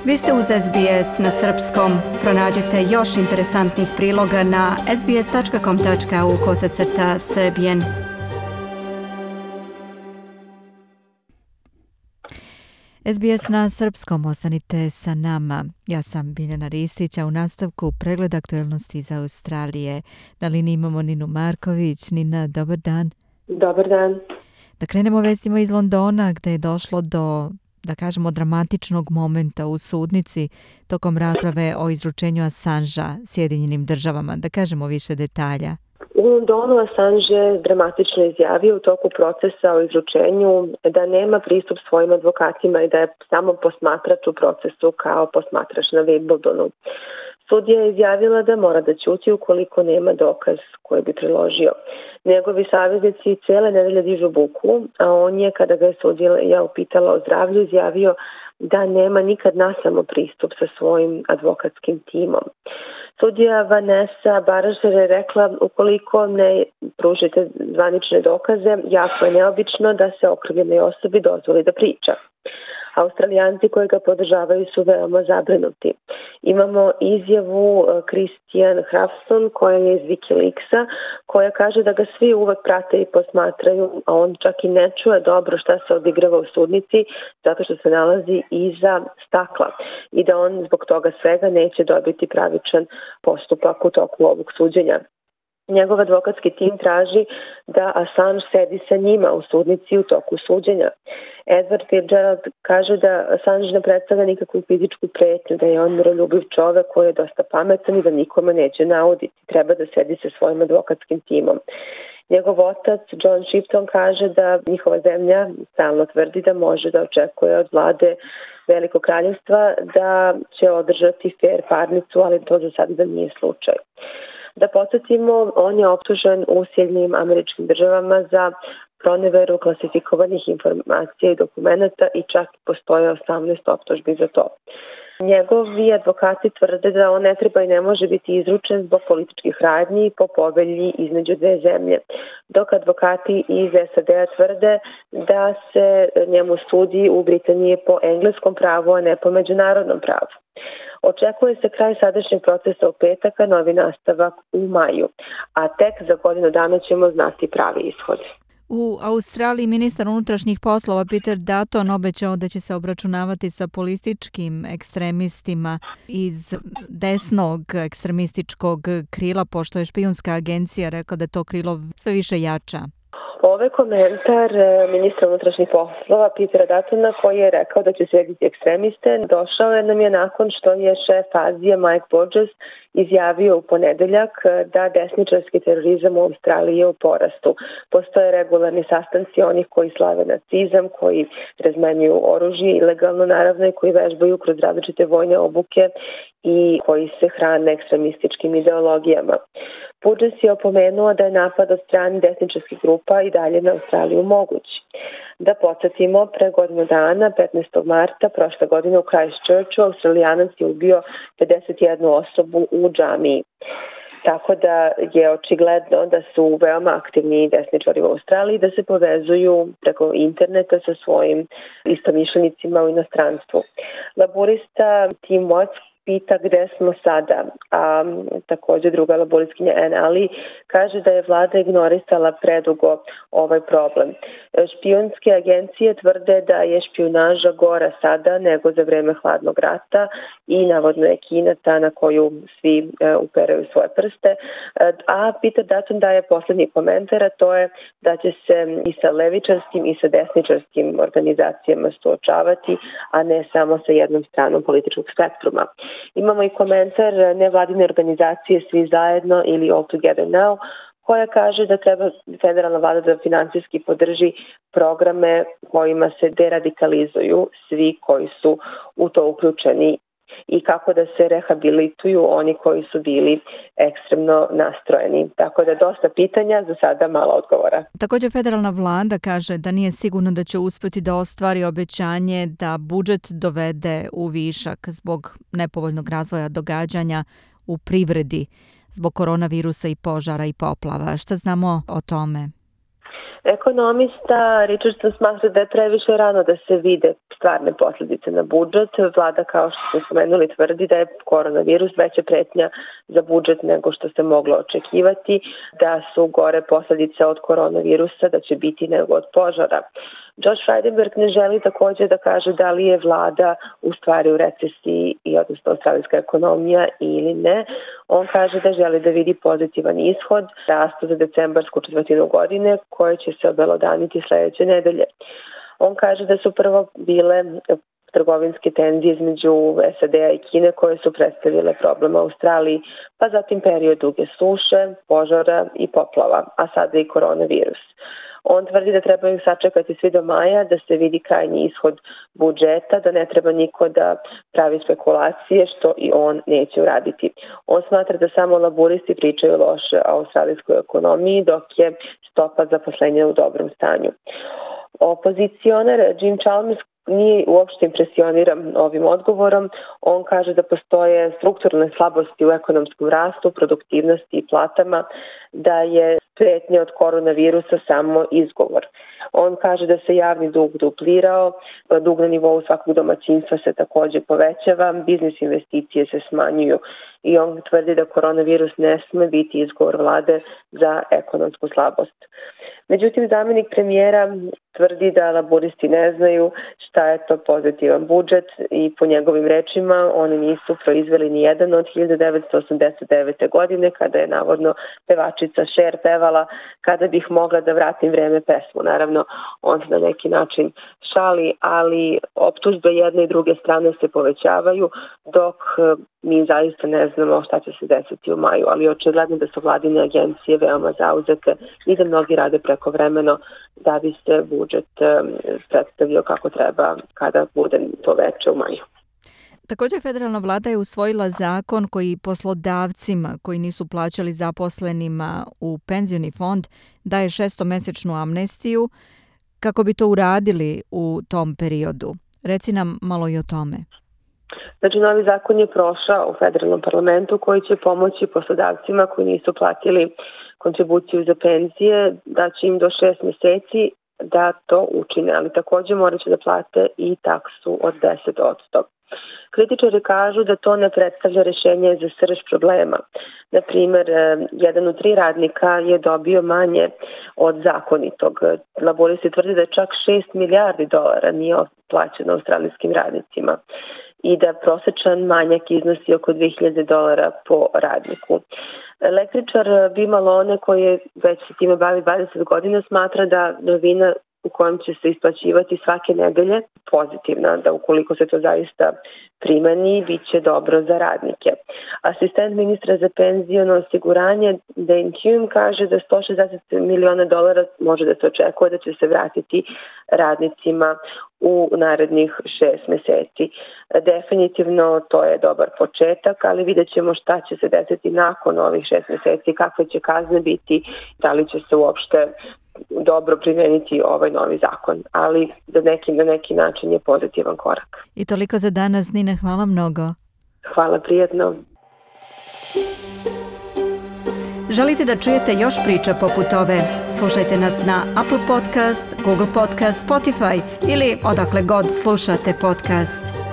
Vi ste uz SBS na srpskom. Pronađite još interesantnih priloga na sbs.com.au/srbijen. SBS na srpskom, ostanite sa nama. Ja sam Biljana Ristić, a u nastavku pregled aktuelnosti iz Australije. Na liniji imamo Ninu Marković. Nina, dobar dan. Dobar dan. Da krenemo vestima iz Londona, gde je došlo do, da kažemo, dramatičnog momenta u sudnici tokom rasprave o izručenju Assangea Sjedinjenim državama. Da kažemo više detalja. U Londonu Assange je dramatično izjavio u toku procesa o izručenju da nema pristup svojim advokatima i da je samo posmatrač u procesu kao posmatrač na Wimbledonu. Sudija je izjavila da mora da ćuti ukoliko nema dokaz koji bi priložio. Njegovi saveznici cele nedelje dižu buku, a on je, kada ga je sudija upitala o zdravlju, izjavio da nema nikad nasamo pristup sa svojim advokatskim timom. Sudija Vanessa Baražer je rekla, ukoliko ne pružite zvanične dokaze, jako je neobično da se okrivljenoj osobi dozvoli da priča. Australijanci koji ga podržavaju su veoma zabrinuti. Imamo izjavu Christian Hrafson koja je iz Wikileaksa, koja kaže da ga svi uvek prate i posmatraju, a on čak i ne čuje dobro šta se odigrava u sudnici zato što se nalazi iza stakla i da on zbog toga svega neće dobiti pravičan postupak u toku ovog suđenja. Njegov advokatski tim traži da Assange sedi sa njima u sudnici u toku suđenja. Edward Fitzgerald kaže da Assange ne predstavlja nikakvu fizičku pretnju, da je on miroljubiv čovek koji je dosta pametan i da nikome neće nauditi. Treba da sedi sa svojim advokatskim timom. Njegov otac, John Shipton, kaže da njihova zemlja stalno tvrdi da može da očekuje od vlade Velikog kraljevstva da će održati fair parnicu, ali to za sada nije slučaj. Da podsjetimo, on je optužen u Sjedinjenim Američkim Državama za proneveru klasifikovanih informacija i dokumenta i čak postoje 18 optužbi za to. Njegovi advokati tvrde da on ne treba i ne može biti izručen zbog političkih radnji po povelji između dve zemlje, dok advokati iz SAD-a tvrde da se njemu sudi u Britaniji po engleskom pravu, a ne po međunarodnom pravu. Očekuje se kraj sadašnjeg procesa u petak, a novi nastavak u maju, a tek za godinu dana ćemo znati pravi ishod. U Australiji ministar unutrašnjih poslova Peter Dutton obećao da će se obračunavati sa političkim ekstremistima iz desnog ekstremističkog krila, pošto je špijunska agencija rekla da to krilo sve više jača. Ovo je komentar ministra unutrašnjih poslova Petera Duttona koji je rekao da će srediti ekstremiste. Došao je nam je nakon što je šef Azije Mike Burgess izjavio u ponedeljak da desničarski terorizam u Australiji je u porastu. Postoje regularni sastanci onih koji slave nacizam, koji razmenjuju oružje ilegalno naravno i koji vežbaju kroz različite vojne obuke i koji se hrane ekstremističkim ideologijama. Burgess je opomenuo da je napad od strane desničarskih grupa i dalje na Australiju moguć. Da podsjetimo, pre godinu dana, 15. marta prošle godine u Christchurchu, Australijanac je ubio 51 osobu u džamiji. Tako da je očigledno da su veoma aktivni desničari u Australiji, da se povezuju preko interneta sa svojim istomišljenicima u inostranstvu. Laborista Tim Watts pita gde smo sada, a također druga laboristkinja Anne Ali kaže da je vlada ignorisala predugo ovaj problem. Špijunske agencije tvrde da je špijunaža gora sada nego za vreme hladnog rata i navodno je Kina ta na koju svi uperaju svoje prste. A Peter Dutton daje poslednji komentar, a to je da će se i sa levičarskim i sa desničarskim organizacijama suočavati, a ne samo sa jednom stranom političkog spektruma. Imamo i komentar nevladine organizacije Svi zajedno ili All Together Now, koja kaže da treba federalna vlada da finansijski podrži programe kojima se deradikalizuju svi koji su u to uključeni i kako da se rehabilituju oni koji su bili ekstremno nastrojeni. Tako da dosta pitanja, za sada malo odgovora. Također federalna vlada kaže da nije sigurno da će uspjeti da ostvari obećanje da budžet dovede u višak zbog nepovoljnog razvoja događanja u privredi, zbog koronavirusa i požara i poplava. Šta znamo o tome? Ekonomista Richardson smatra da je previše rano da se vide stvarne posljedice na budžet. Vlada, kao što smo spomenuli, tvrdi da je koronavirus veća pretnja za budžet nego što se moglo očekivati, da su gore posljedice od koronavirusa, da će biti nego od požara. Josh Frydenberg ne želi također da kaže da li je vlada u stvari u recesiji i odnosno australijska ekonomija ili ne. On kaže da želi da vidi pozitivan ishod rasta za decembarsku četvrtinu godine koje će se obelodaniti sledeće nedelje. On kaže da su prvo bile trgovinske tenzije između SAD-a i Kine koje su predstavile problem u Australiji, pa zatim period duge suše, požara i poplava, a sada i koronavirus. On tvrdi da trebaju sačekati svi do maja da se vidi krajnji ishod budžeta, da ne treba niko da pravi spekulacije, što i on neće uraditi. On smatra da samo laburisti pričaju loše o australijskoj ekonomiji, dok je stopa zaposlenja u dobrom stanju. Opozicionar Jim Chalmers nije uopšte impresioniran ovim odgovorom. On kaže da postoje strukturne slabosti u ekonomskom rastu, produktivnosti i platama, da je pretnja od koronavirusa samo izgovor. On kaže da se javni dug duplirao, dug na nivou svakog domaćinstva se također povećava, biznis investicije se smanjuju i on tvrdi da koronavirus ne sme biti izgovor vlade za ekonomsku slabost. Međutim, zamjenik premijera tvrdi da laburisti ne znaju šta je to pozitivan budžet i po njegovim rečima oni nisu proizveli ni jedan od 1989. godine kada je navodno pevačica Cher pevala kada bih mogla da vratim vreme pesmu. Naravno, on se na neki način šali, ali optužbe jedne i druge strane se povećavaju dok mi zaista ne znamo šta će se desiti u maju, ali očigledno da su vladine agencije veoma zauzete i da mnogi rade prekovremeno da bi se budžet predstavio kako treba kada bude to veče u maju. Također federalna vlada je usvojila zakon koji poslodavcima koji nisu plaćali zaposlenima u penzioni fond daje 6-mesečnu amnestiju kako bi to uradili u tom periodu. Reci nam malo i o tome. Znači, novi zakon je prošao u federalnom parlamentu koji će pomoći poslodavcima koji nisu platili kontribuciju za penzije, da će im do 6 meseci da to učine, ali također morat će da plate i taksu od 10%. Kritičari kažu da to ne predstavlja rešenje za srž problema. Naprimer, 1 od 3 radnika je dobio manje od zakonitog. Laboristi tvrde da čak $6 milijardi nije plaćeno australijskim radnicima i da prosečan manjak iznosi oko $2.000 po radniku. Električar Bi Malone, koji je već se time bavi 20 godina, smatra da novina u kojem će se isplaćivati svake nedelje pozitivna, da ukoliko se to zaista primeni, bit će dobro za radnike. Asistent ministra za penziono osiguranje Dane Hume kaže da $160 miliona može da se očekuje da će se vratiti radnicima u narednih 6 meseci. Definitivno to je dobar početak, ali vidjet ćemo šta će se desiti nakon ovih 6 meseci, kakve će kazne biti, da li će se uopšte dobro primeniti ovaj novi zakon, ali na neki način je pozitivan korak. I toliko za danas, Nina, hvala mnogo. Hvala, prijetno. Želite da čujete još priča poput ove? Slušajte nas na Apple Podcast, Google Podcast, Spotify ili odakle god slušate podcast.